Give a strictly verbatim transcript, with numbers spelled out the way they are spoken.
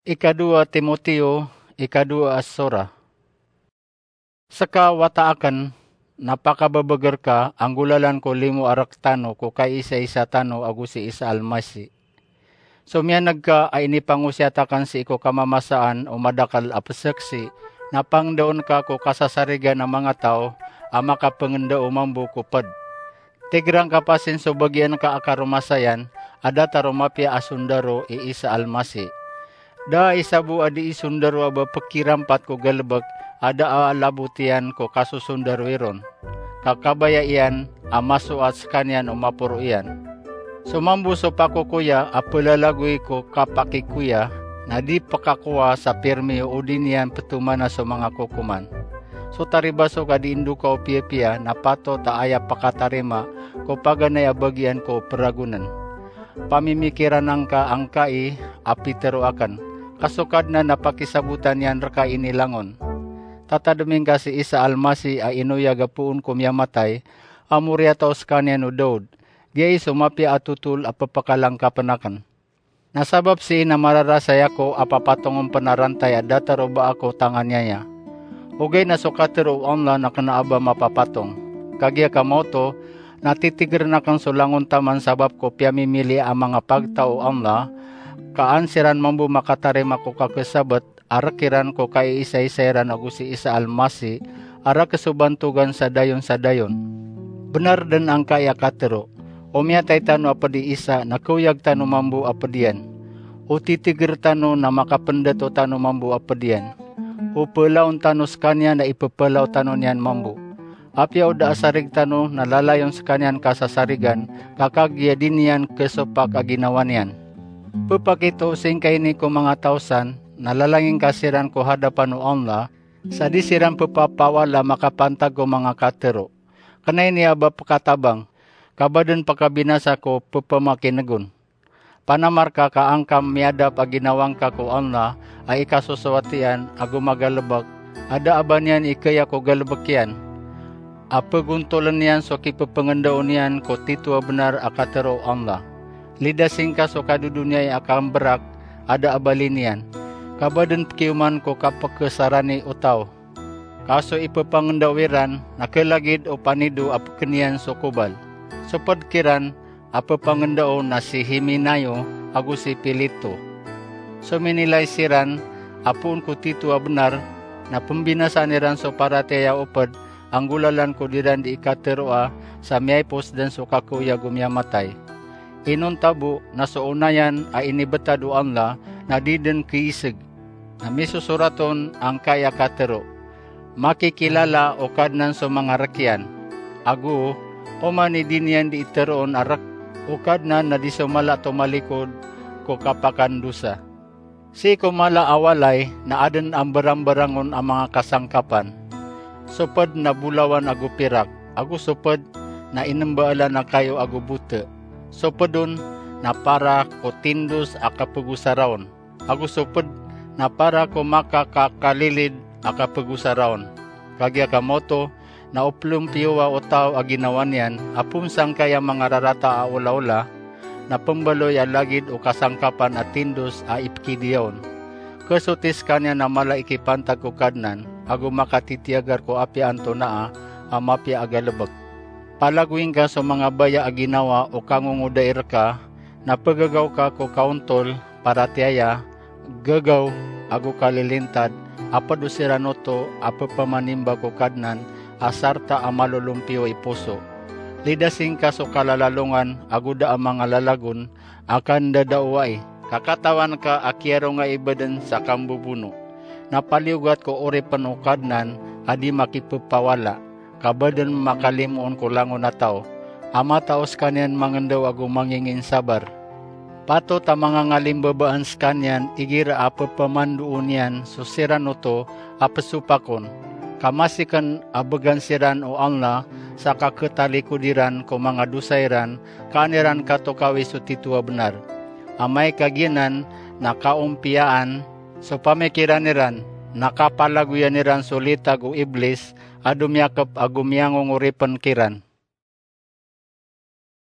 Ikadowa Timoteo, ikadowa a sora. Seka wata aken, na pakabebeger ka, a nggolalan ko limo a rektano ko kaisaisa tano ago si Isa Almasi. So miyaneg ka a inipangosiyat aken sii ko kamamasaan o madakel a peseksi, na pangdaon ka ko kasasarigan a manga taw a makapengendao mambo ko ped. Tigeran ka pasin so bagian ka a karomasayan a datar o mapiya a sondaro i Isa Almasi. Da a isa bo a dii sondaro a ba pekirampat ko galebek a da a labot iyan ko kasosondaro iron, ka kabaya iyan a masoat sekaniyan o maporo iyan. So mambo so pakokoya a pelalagoy ko kapakikoya, na di pekakowa sa pirmi o di niyan petomana so manga kokoman. So taribasok a di indoka o piyapiya na patot a aya pekatarima ko paganay a bagian ko peragonen. Pamimikiran angka angkai a pitero aken, ka so Kadnan na pakisabotan iyan reka inilangon. Tatademi ngka si Isa Almasi a inoyag a poon ko miyamatay, a moriyataw sekaniyan o Daud, giyai so mapiya a totol a pepakalangkapen aken. Na sabap sii na mararasay ako a papatongen pen a rantay a datar o ba ako tanganiyaya. Ogaid na so katero o Allah na kena a ba mapapatong. Kagiya ka maoto, na titigeren aken so langon taman sabap ko piyamimili a manga pagtaw o Allah, ka an siran mambo makatarima ko kakesabet a rek iran ko kaisaisa iran ago si Isa Almasi a rek so bantogan sa dayon sa dayon. Benar den angkai a katero, o miyatay tano a ped i Isa na keoyag tano mambo a ped iyan. O titiger tano na makapendato tano mambo a ped iyan. O pelaon tano sekaniyan na ipepelaw tano niyan mambo. Apiya o da a sarig tano na lalayon sekaniyan kasasarigan, ka kagiya di niyan kesopak a ginawa niyan. Pepakito singkaini ko manga taw san, na lalangin ka siran ko hadapan o Allah, sa di siran pepapawala makapantag ko manga katero. Kena ini a ba pekatabang, ka ba den pekabinasa ko pepemakinegon. Panamar ka ka angka miyadap a ginawa ngka ko Allah a ikasosowat iyan ago magalebek, a da a ba niyan ikaya ko galebek iyan, a pegontolen iyan so kipepengendao niyan ko tito a benar a katero o Allah. Lidasi ngka so kadodoniyai a kamberak a da a bali niyan, ka ba den pekioman ko kapekesarani o taw. Ka so ipepangendao iran na kelagid o panido a pekeniyan so kobal. So ped kiran a pepangendao na si Himenayo ago si Pileto. So minilay siran a poon ko tito a benar, na pembinasaan iran so paratiyaya o ped a nggolalan ko diran di ikateroa sa miyaipos den so kakeoyag o miyamatay. Inonta bo na so onayan a inibetad o Allah na di den keiseg. Na misosorat on angkai a katero, makikilala o Kadnan so manga rek iyan. Ago, oman i di niyan di iteroon a rek, o Kadnan na di so mala tomalikod ko kapakandosa. Sii ko mala a walay na aden a mberamberangon a manga kasangkapan. So ped na bolawan ago pirak, ago so ped na inembaalan a kayo ago bote. So ped on na para ko tindos a kapegosaraon, ago so ped na para ko makakakalilid a kapegosaraon. Kagiya ka maoto, na o pelompiyowa o taw a ginawa niyan a poon sangkai a manga rarata a olaola, na pembaloy a lagid o kasangkapan a tindos a ipekidiyaya on. Kesoti sekaniyan a mala i kipantag ko Kadnan, ago makatitiyagar ko apiya antonaa a mapiya a galebek. Palagoy ngka so manga baya a ginawa o kangongodai reka, na pegegaw ka ko kaontol, paratiyaya, gegaw, ago kalilintad, a ped o siran oto a pepamanimba ko Kadnan a sarta a malolompiyo i poso. Lidasi ngka so kalalalongan ago da a manga lalagon a kandadaowai, ka katawan ka a kiyaronga i baden sa kambobono. Na paliyogat ko oripen o Kadnan a di makipepawala, ka ba den makalimoon ko langon a taw, a matao sekaniyan mangendao ago manginginsabar. Patot a mangangalimbabaan sekaniyan igira a pepamandoon iyan so siran oto a pesopakon, ka masiken a began siran o Allah sa kaketalikod iran ko manga dosa iran, ka an iran katokawi so tito a benar. Amay ka giyanan na kaompiyaan so pamikiran iran, na kapalagoyan iran so litag o Iblis a domiyakep ago miyangongoripen kiran.